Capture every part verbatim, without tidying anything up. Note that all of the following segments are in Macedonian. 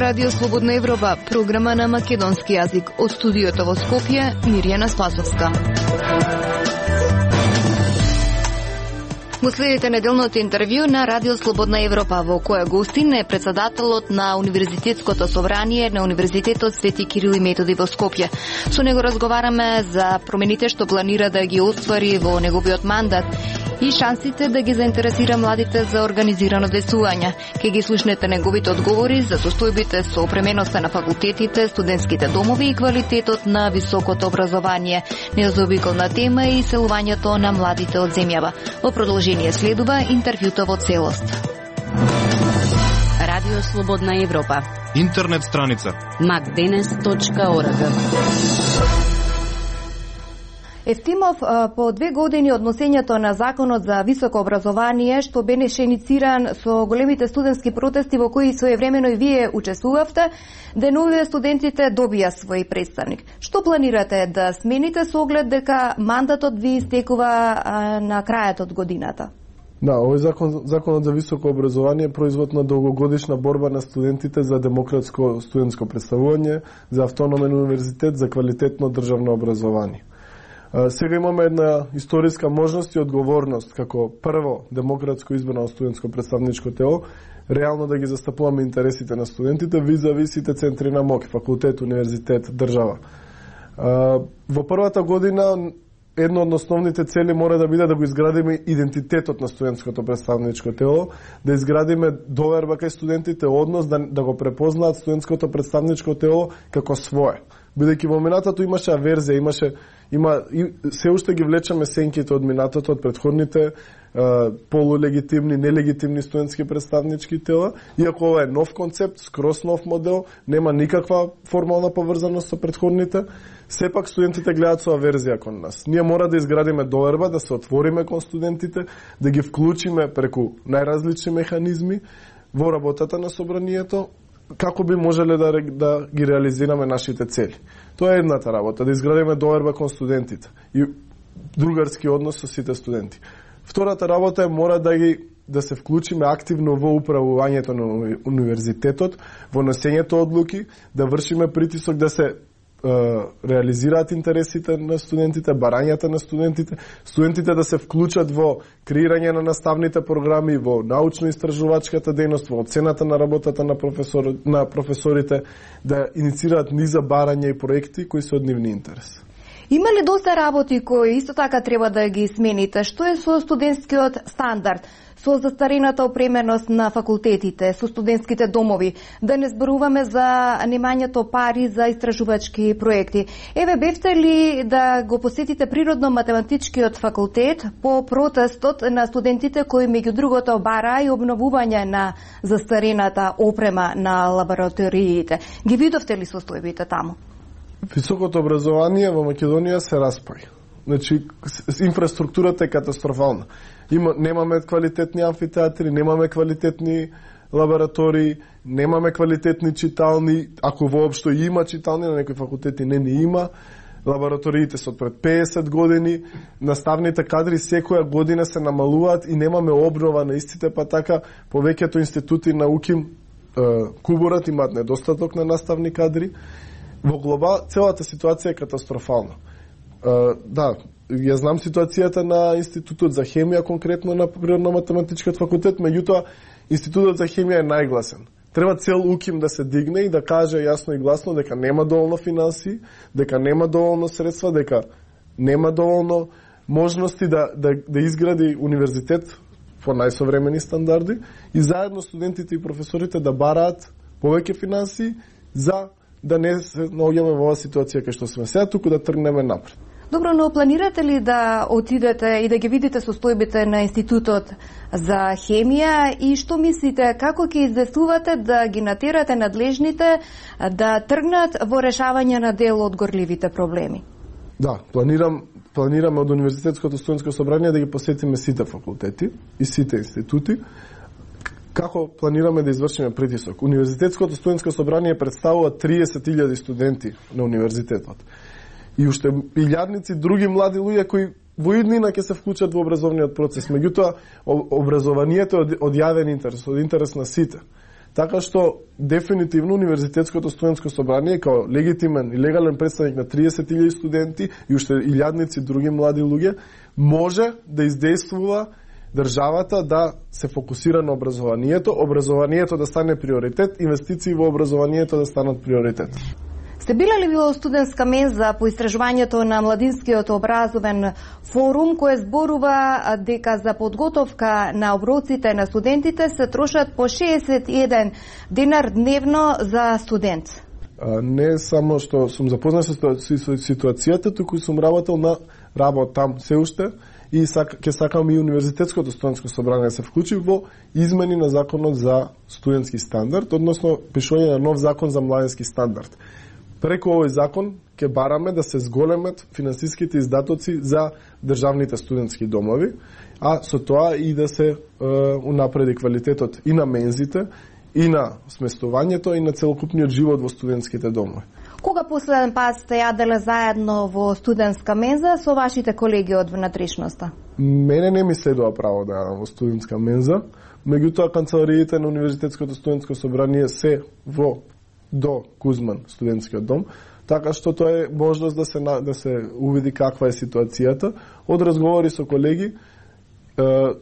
Радио Слободна Европа, програма на македонски јазик. Од студиото во Скопје, Мирјана Спасовска. Го следите неделното интервју на Радио Слободна Европа, во која гостин е председателот на Универзитетското собрание на Универзитетот Свети Кирил и Методи во Скопје. Со него разговараме за промените што планира да ги оствари во неговиот мандат и шансите да ги заинтересира младите за организирано десување. Ке ги слушнете неговите одговори за состојбите со опременоста на факултетите, студентските домови и квалитетот на високото образование. Незаобиколна тема е иселувањето на младите од земјава. Во продолжение следува интервјуто во целост. Радио Слободна Европа. Интернет страница макденес точка орг. Ефтимов, по две години од носењето на Законот за високо образование, што беше инициран со големите студентски протести во кои своевремено и вие учествувавте, деновиве студентите добија свој представник. Што планирате да смените со оглед дека мандатот ви истекува на крајот од годината? Да, овој закон, законот за високо образование е производ на долгогодишна борба на студентите за демократско студентско представување, за автономен универзитет, за квалитетно државно образование. Сега имаме една историска можност и одговорност како прво демократско избрано студентско представничко тело, реално да ги застапуваме интересите на студентите визави сите центри на МОК, факултет, универзитет, држава. Во првата година едно од основните цели мора да биде да го изградиме идентитетот на студентското представничко тело, да изградиме доверба кај студентите, однос да, да го препознаат студентското представничко тело како свое. Бидејќи во минатото имаше аверзија, имаше има и се уште ги влечеме сенките од минатото, од претходните е, полулегитимни, нелегитимни студентски представнички тела, иако ова е нов концепт, скрос нов модел, нема никаква формална поврзаност со претходните, сепак студентите гледаат со аверзија кон нас. Ние мора да изградиме доверба, да се отвориме кон студентите, да ги вклучиме преку најразлични механизми во работата на собранието, како би можеле да, да ги реализираме нашите цели. Тоа е едната работа, да изградиме доверба кон студентите и другарски однос со сите студенти. Втората работа е мора да ги да се вклучиме активно во управувањето на универзитетот, во носењето одлуки, да вршиме притисок да се реализираат интересите на студентите, барањата на студентите, студентите да се вклучат во креирање на наставните програми, во научно-истражувачката дејност, во оцената на работата на, професор, на професорите, да иницираат низа барања и проекти кои се од нивни интерес. Има ли доста работи кои исто така треба да ги смените? Што е со студентскиот стандард? Со застарената опременост на факултетите, со студентските домови, да не зборуваме за немањето пари за истражувачки проекти. Еве, бевте ли да го посетите природно-математичкиот факултет по протестот на студентите кои меѓу другото бара и обновување на застарената опрема на лабораториите? Ги видовте ли состојбите таму? Високото образование во Македонија се распај. Значи, инфраструктурата е катастрофална. Има, немаме квалитетни амфитеатри, немаме квалитетни лаборатории, немаме квалитетни читални, ако воопшто има читални, на некои факултети не не има. Лабораториите се од пред песет години, наставните кадри секоја година се намалуваат и немаме обнова на истите, па така повеќето институти науки е, куборат, имаат недостаток на наставни кадри. Во глобал целата ситуација е катастрофална. Uh, да, ја знам ситуацијата на Институтот за хемија, конкретно на Природно-математичкиот факултет, меѓутоа Институтот за хемија е најгласен. Треба цел УКИМ да се дигне и да каже јасно и гласно дека нема доволно финансии, дека нема доволно средства, дека нема доволно можности да, да, да изгради универзитет по најсовремени стандарди и заедно студентите и професорите да бараат повеќе финансии за да не се наоѓаме во оваа ситуација кај што сме сега, туку да тргнеме напред. Добро, но планирате ли да отидете и да ги видите состојбите на Институтот за хемија и што мислите, како ќе издействувате да ги натерате надлежните да тргнат во решавање на дел од горливите проблеми? Да, планирам планираме од Универзитетското студентско собрание да ги посетиме сите факултети и сите институти. Како планираме да извршиме притисок? Универзитетското студентско собрание представува триесет илјади студенти на универзитетот. И уште илјадници други млади луѓе кои во иднина ќе се вклучат во образовниот процес. Меѓутоа, образованието е од јавен интерес, од интерес на сите. Така што дефинитивно универзитетското студентско собрание као легитимен и легален представник на триесет илјади студенти и уште илјадници други млади луѓе може да издействува државата да се фокусира на образованието, образованието да стане приоритет, инвестиции во образованието да станат приоритет. Сте биле ли во студентска менза по истражувањето на Младинскиот образовен форум, кој зборува дека за подготовка на оброците на студентите се трошат по шеесет и еден динар дневно за студент? А, не само што сум запознат со ситуацијата, туку сум работел на работ там се уште и сак, ке сакам и универзитетското студентско собрание да се вклучи во измени на законот за студентски стандард, односно пишување на нов закон за младински стандард. Преку овој закон ќе бараме да се зголемат финансиските издатоци за државните студентски домови, а со тоа и да се е, унапреди квалитетот и на мензите, и на сместувањето, и на целокупниот живот во студентските домови. Кога последен пат сте јаделе заедно во студентска менза со вашите колеги од внатрешноста? Мене не ми следува право да јадам во студентска менза, меѓутоа канцелариите на Универзитетското студентско собрание се во до Кузман студентскиот дом, така што тоа е можност да се да се увиди каква е ситуацијата. Од разговори со колеги е,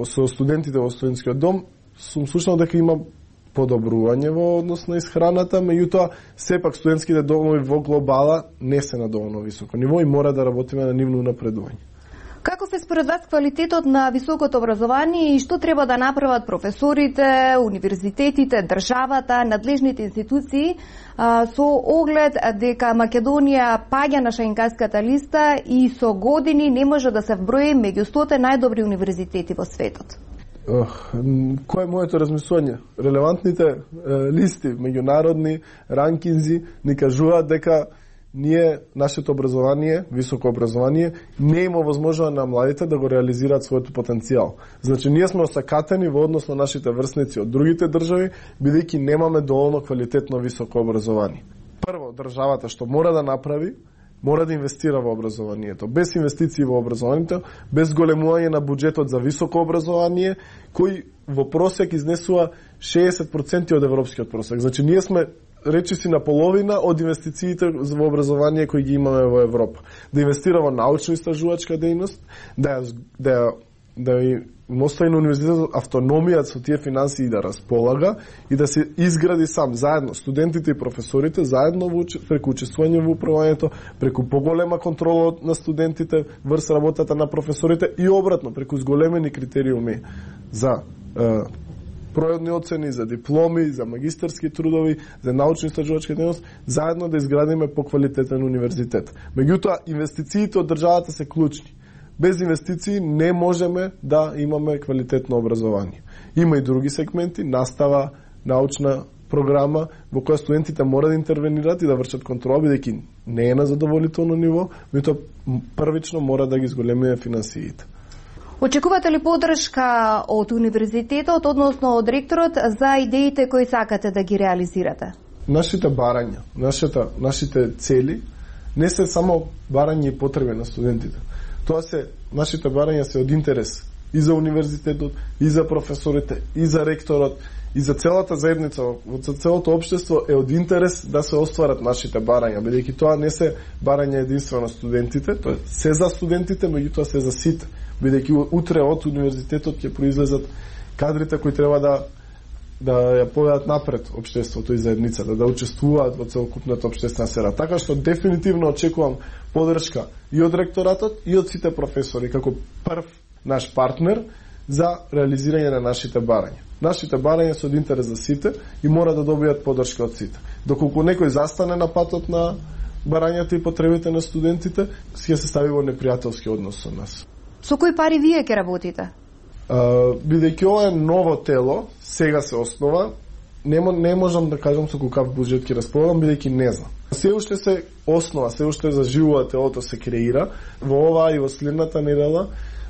со студентите во студентскиот дом сум слушнал дека има подобрување во однос на исхраната, меѓутоа сепак студентските домови во глобала не се на доволно високо ниво и мора да работиме на нивно напредување. Каков е според вас квалитетот на високото образование и што треба да направат професорите, универзитетите, државата, надлежните институции а, со оглед дека Македонија паѓа на Шенгенската листа и со години не може да се вброи меѓу стотте најдобри универзитети во светот? Ох, кој е моето размислување? Релевантните е, листи, меѓународни ранкинзи ни кажуваат дека ние, нашето образование, високо образование, не има возможност на младите да го реализираат својот потенцијал. Значи, ние сме осакатени во однос на нашите врсници од другите држави, бидејќи немаме доволно квалитетно високо образование. Прво, државата што мора да направи, мора да инвестира во образованието. Без инвестиции во образованието, без големување на буџетот за високо образование, кој во просек изнесува шеесет проценти од европскиот просек. Значи, ние сме речиси на половина од инвестициите во образование кои ги имаме во Европа. Да инвестира во научно-истражувачка дејност, да да да му остави на универзитетот автономија со тие финансии да располага и да се изгради сам заедно студентите и професорите заедно во преку учествување во управувањето, преку поголема контрола на студентите врз работата на професорите и обратно преку зголемени критериуми за е, пројодни оцени, за дипломи, за магистерски трудови, за научно-истражувачка дејност, заедно да изградиме поквалитетен универзитет. Меѓутоа, инвестициите од државата се клучни. Без инвестиции не можеме да имаме квалитетно образование. Има и други сегменти, настава, научна програма, во која студентите мора да интервенираат и да вршат контрола, бидејќи не е на задоволително ниво, меѓутоа првично мора да ги зголемиме финансиите. Очекувате ли поддршка од универзитетот, односно од ректорот, за идеите кои сакате да ги реализирате? Нашите барања, нашата, нашите цели не се само барања и потреби на студентите. Тоа се, нашите барања се од интерес и за универзитетот, и за професорите, и за ректорот, и за целата заедница, за целото општество е од интерес да се остварат нашите барања, бидејќи тоа не се барања единствено студентите, тоа се за студентите, меѓутоа се за сите, бидејќи утре од универзитетот ќе произлезат кадрите кои треба да да ја поведат напред општеството и заедницата, да учествуваат во целокупната општествена сфера. Така што дефинитивно очекувам поддршка и од ректоратот и од сите професори како прв наш партнер за реализирање на нашите барања. Нашите барања се од интерес за сите и мора да добијат поддршка од сите. Доколку некој застане на патот на барањата и потребите на студентите, ќе се стави во непријателски однос со нас. Со кои пари вие ќе работите? Uh, бидејќи ова е ново тело, сега се основа, не, не можам да кажам со каков буџет ќе располагам, бидејќи не знам. Се уште се основа, се уште заживува телото, се креира. Во ова и во следната недела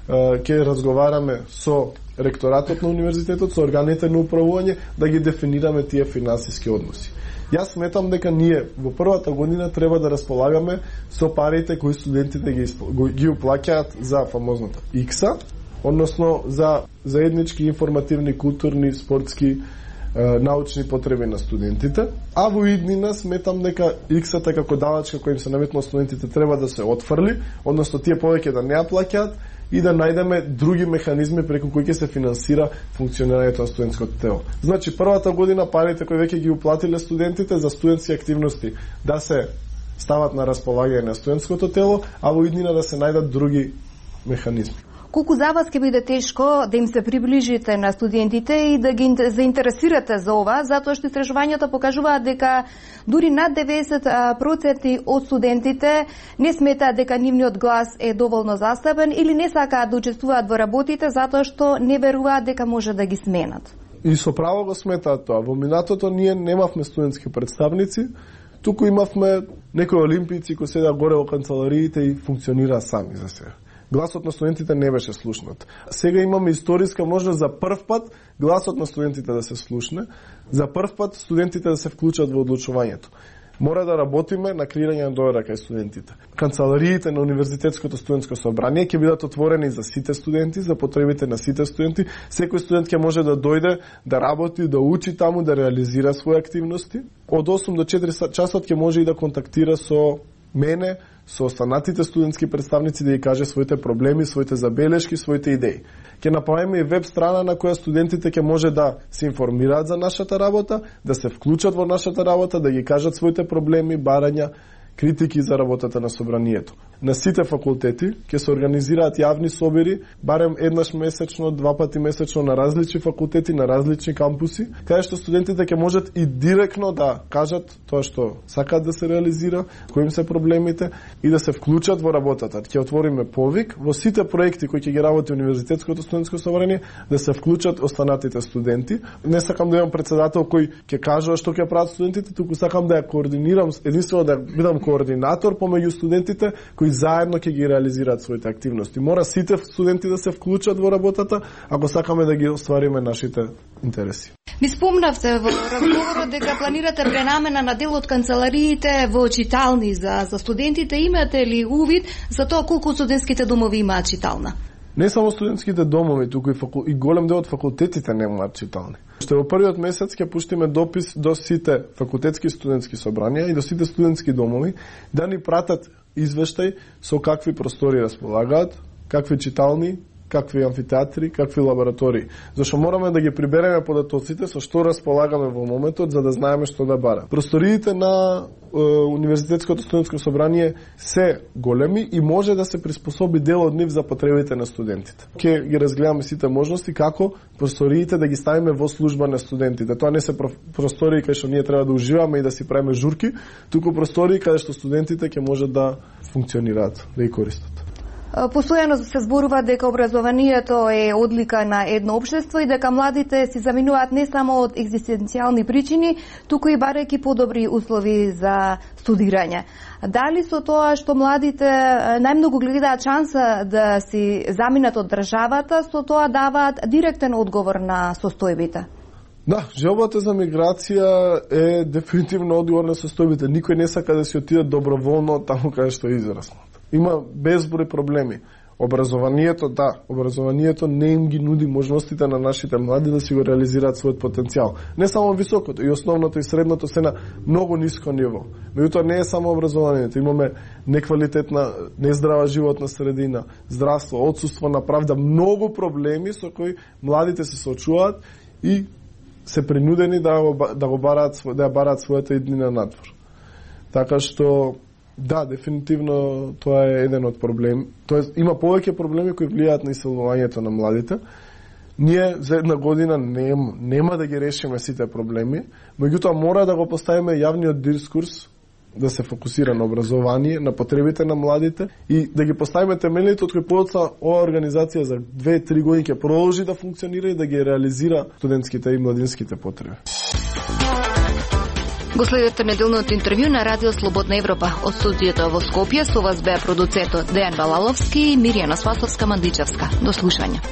uh, ќе разговараме со ректоратот на универзитетот, со органите на управување, да ги дефинираме тие финансиски односи. Јас сметам дека ние во првата година треба да располагаме со парите кои студентите ги, ги уплаќаат за фамозната икса, односно за заеднички информативни, културни, спортски научни потреби на студентите, а во иднина сметам дека иксата како давачка која им се наметнува студентите треба да се отфрли, односно тие повеќе да не ја плаќаат и да најдеме други механизми преку кои ќе се финансира функционирањето на студентското тело. Значи, првата година парите кои веќе ги уплатиле студентите за студентски активности да се стават на располагање на студентското тело, а во иднина да се најдат други механизми. Колку за вас ќе биде тешко да им се приближите на студентите и да ги заинтересирате за ова, затоа што истражувањата покажуваат дека дури над деветдесет проценти од студентите не сметаат дека нивниот глас е доволно застапен или не сакаат да учествуваат во работите затоа што не веруваат дека може да ги сменат. И со право го сметаат тоа. Во минатото ние немавме студентски представници, туку имавме некои олимпијци кои седеа горе во канцелариите и функционираа сами за себе. Гласот на студентите не беше слушнат. Сега имаме историска можност за прв пат гласот на студентите да се слушне, за прв пат студентите да се вклучат во одлучувањето. Мора да работиме на креирање на доверба кај студентите. Канцелариите на Универзитетското студентско собрание ќе бидат отворени за сите студенти, за потребите на сите студенти. Секој студент ќе може да дојде, да работи, да учи таму, да реализира своји активности. Од осум до четири часот ќе може и да контактира со мене, со останатите студентски представници да ја каже своите проблеми, своите забелешки, своите идеи. Ќе направиме и веб страна на која студентите ќе може да се информираат за нашата работа, да се вклучат во нашата работа, да ги кажат своите проблеми, барања, критики за работата на собранието. На сите факултети ќе се организираат јавни собери, барем еднаш месечно, два пати месечно на различни факултети, на различни кампуси, каде што студентите ќе можат и директно да кажат тоа што сакаат да се реализира, кои им се проблемите и да се вклучат во работата. Ќе отвориме повик во сите проекти кои ќе ги работи Универзитетското студентско собрание да се вклучат останатите студенти. Не сакам да имам председател кој ќе кажува што ќе прават студентите, туку сакам да ја координирам, единствено да бидам координатор помеѓу студентите кои заедно ќе ги реализираат своите активности. Мора сите студенти да се вклучат во работата ако сакаме да ги оствариме нашите интереси. Ми спомнавте во разговорот дека планирате пренамена на дел од канцелариите во читални за, за студентите. Имате ли увид за тоа колку студентските домови имаат читална? Не само студентските домови, туку и, факу... и голем дел од факултетите немаат читални. Што во првиот месец ќе пуштиме допис до сите факултетски студентски собранија и до сите студентски домови да ни пратат извештај со какви простори располагаат, какви читални, какви амфитеатри, какви лаборатории. Зашто мораме да ги прибереме податоците со што располагаме во моментот за да знаеме што да бара. Просториите на е, Универзитетското студентско собрание се големи и може да се приспособи дел од нив за потребите на студентите. Ќе ги разгледаме сите можности како просториите да ги ставиме во служба на студентите. Тоа не се простории кај што ние треба да уживаме и да си правиме журки, туку простории каде што студентите ќе можат да функционираат, да ги користат. Постојано се зборува дека образованието е одлика на едно општество и дека младите си заминуваат не само од екзистенцијални причини, туку и барајќи подобри услови за студирање. Дали со тоа што младите најмногу гледаат шанса да си заминат од државата, со тоа даваат директен одговор на состојбите? Да, желбата за миграција е дефинитивно одговор на состојбите. Никој не сака да си отиде доброволно таму каде што е израснат. Има безброј проблеми. Образованието, да, образованието не им ги нуди можностите на нашите млади да си го реализираат својот потенцијал. Не само високото, и основното и средното се на многу ниско ниво. Меѓутоа не е само образованието, имаме неквалитетна, нездрава животна средина, здравство, отсуство на правда, многу проблеми со кои младите се соочуваат и се принудени да го, да го бараат, да ја бараат својата иднина надвор. Така што да, дефинитивно тоа е еден од проблеми. Тоест има повеќе проблеми кои влијаат на иселувањето на младите. Ние за една година нема, нема да ги решиме сите проблеми, меѓутоа мора да го поставиме јавниот дискурс да се фокусира на образование, на потребите на младите и да ги поставиме темелите од кои подоцна оваа организација за две-три години ќе продолжи да функционира и да ги реализира студентските и младинските потреби. Го следете неделното интервју на Радио Слободна Европа. Од студиото во Скопје со вас беа продуцентот Дејан Балаловски и Мирјана Свасовска-Мандичевска. До слушање.